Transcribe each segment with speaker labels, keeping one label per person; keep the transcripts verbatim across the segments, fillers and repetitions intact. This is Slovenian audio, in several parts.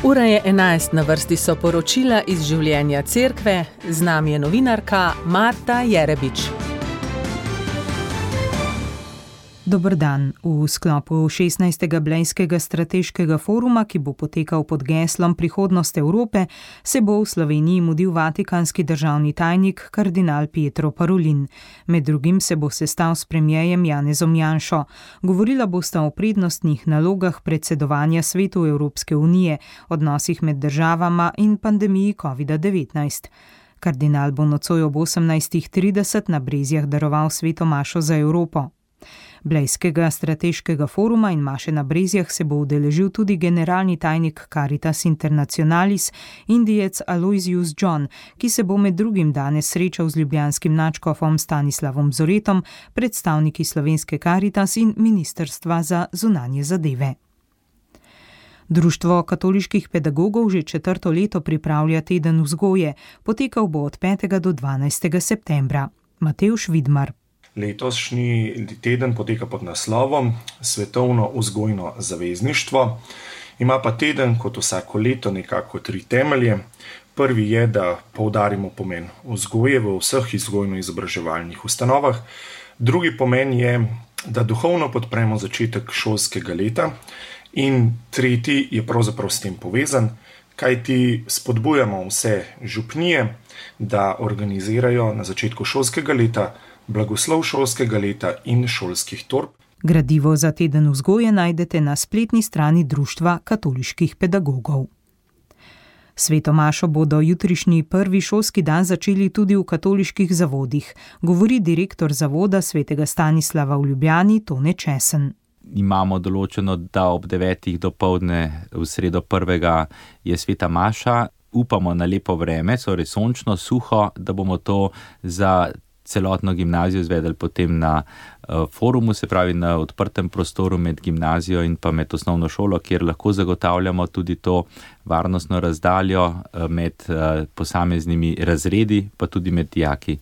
Speaker 1: Ura je enajst, na vrsti so poročila iz življenja cerkve, z nami je novinarka Marta Jerebič.
Speaker 2: Dober dan. V sklopu šestnajstega Blejskega strateškega foruma, ki bo potekal pod geslom Prihodnost Evrope, se bo v Sloveniji mudil vatikanski državni tajnik kardinal Pietro Parolin. Med drugim se bo sestal s premierjem Janezom Janšo. Govorila bosta o prednostnih nalogah predsedovanja Svetu Evropske unije, odnosih med državama in pandemiji covid devetnajst. Kardinal bo nocoj ob osemnajstih trideset na Brezjah daroval sveto mašo za Evropo. Blejskega strateškega foruma in maše na Brezjah se bo udeležil tudi generalni tajnik Caritas Internationalis, Indijec Aloysius John, ki se bo med drugim danes srečal z ljubljanskim nadškofom Stanislavom Zoretom, predstavniki slovenske Caritas in Ministrstva za zunanje zadeve. Društvo katoliških pedagogov že četrto leto pripravlja teden vzgoje, potekal bo od petega do dvanajstega septembra. Matevž Vidmar.
Speaker 3: Letošnji teden poteka pod naslovom Svetovno vzgojno zavezništvo. Ima pa teden kot vsako leto nekako tri temelje. Prvi je, da poudarimo pomen vzgoje v vseh vzgojno-izobraževalnih ustanovah. Drugi pomen je, da duhovno podpremo začetek šolskega leta. In tretji je pravzaprav s tem povezan, kajti spodbujamo vse župnije, da organizirajo na začetku šolskega leta blagoslov šolskega leta in šolskih torb.
Speaker 2: Gradivo za teden vzgoje najdete na spletni strani Društva katoliških pedagogov. Sveto mašo bodo jutrišnji prvi šolski dan začeli tudi v katoliških zavodih, govori direktor zavoda svetega Stanislava v Ljubljani Tone Česen.
Speaker 4: Imamo določeno, da ob devetih dopoldne v sredo prvega je sveta maša. Upamo na lepo vreme, torej sončno, suho, da bomo to za celotno gimnazijo izvedeli potem na uh, forumu, se pravi na odprtem prostoru med gimnazijo in pa med osnovno šolo, kjer lahko zagotavljamo tudi to varnostno razdaljo uh, med uh, posameznimi razredi, pa tudi med dijaki.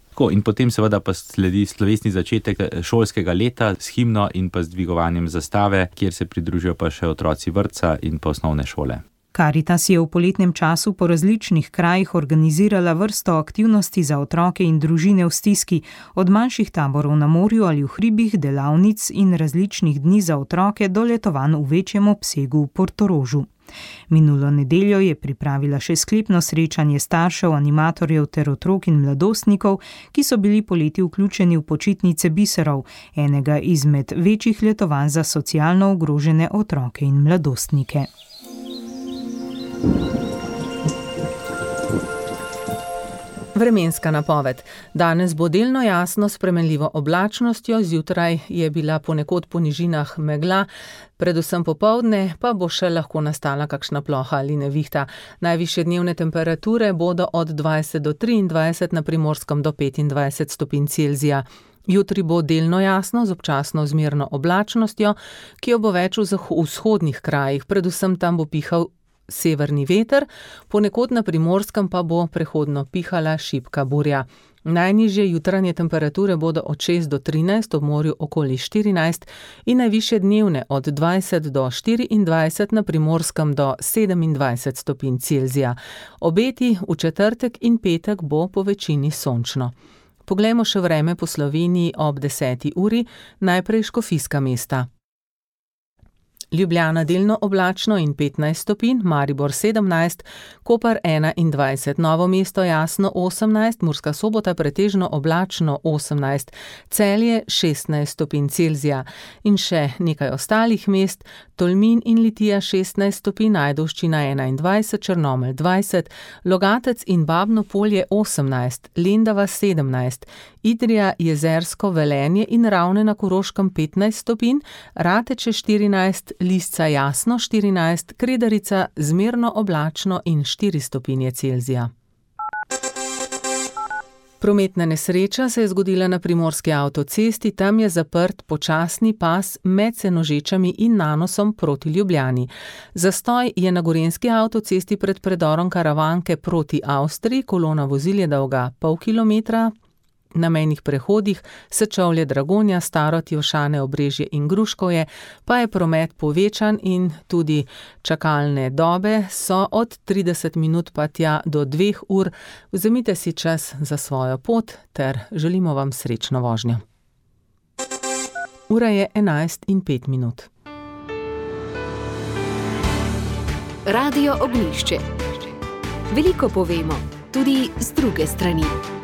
Speaker 4: Tako, in potem seveda pa sledi slovesni začetek šolskega leta s himno in pa z dvigovanjem zastave, kjer se pridružijo pa še otroci vrtca in pa osnovne šole.
Speaker 2: Caritas je v poletnem času po različnih krajih organizirala vrsto aktivnosti za otroke in družine v stiski, od manjših taborov na morju ali v hribih, delavnic in različnih dni za otroke do letovanj v večjem obsegu v Portorožu. Minulo nedeljo je pripravila še sklepno srečanje staršev, animatorjev ter otrok in mladostnikov, ki so bili poleti vključeni v počitnice biserov, enega izmed večjih letovanj za socialno ogrožene otroke in mladostnike.
Speaker 1: Vremenska napoved. Danes bo delno jasno s spremenljivo oblačnostjo, zjutraj je bila ponekod po nižinah megla, predvsem popoldne pa bo še lahko nastala kakšna ploha ali nevihta. Najvišje dnevne temperature bodo od dvajset do triindvajset, na Primorskem do petindvajset stopinj Celzija. Jutri bo delno jasno z občasno zmerno oblačnostjo, ki jo bo več v vzhodnih krajih, predvsem tam bo pihal severni veter, ponekod na Primorskem pa bo prehodno pihala šibka burja. Najnižje jutranje temperature bodo od šest do trinajst, ob morju okoli štirinajst in najvišje dnevne od dvajset do štiriindvajset, na Primorskem do sedemindvajset stopinj Celzija. Obeti v četrtek in petek bo po večini sončno. Poglejmo še vreme po Sloveniji ob deseti uri, najprej Škofijska mesta. Ljubljana delno oblačno in petnajst stopinj, Maribor sedemnajst, Koper enaindvajset, Novo mesto jasno osemnajst, Murska Sobota pretežno oblačno osemnajst, Celje šestnajst stopinj Celzija in še nekaj ostalih mest, Tolmin in Litija šestnajst stopinj, Ajdovščina enaindvajset, Črnomelj dvajset, Logatec in Babno Polje osemnajst, Lendava sedemnajst, Idrija, Jezersko, Velenje in Ravne na Koroškem petnajst stopinj, Rateče štirinajst, Lisca jasno štirinajst, Kredarica zmerno oblačno in štiri stopinje Celzija. Prometna nesreča se je zgodila na primorski avtocesti, tam je zaprt počasni pas med Senožečami in Nanosom proti Ljubljani. Zastoj je na gorenjski avtocesti pred predorom Karavanke proti Avstriji, kolona vozil je dolga pol kilometra, Na mejnih prehodih Sečovlje, Dragonja, Starod, Jelšane, Obrežje in Gruškovje pa je promet povečan in tudi čakalne dobe so od trideset minut pa tja do dveh ur. Vzemite si čas za svojo pot ter želimo vam srečno vožnjo. Ura je enajst in pet minut.
Speaker 5: Radio Ognjišče. Veliko povemo, tudi z druge strani.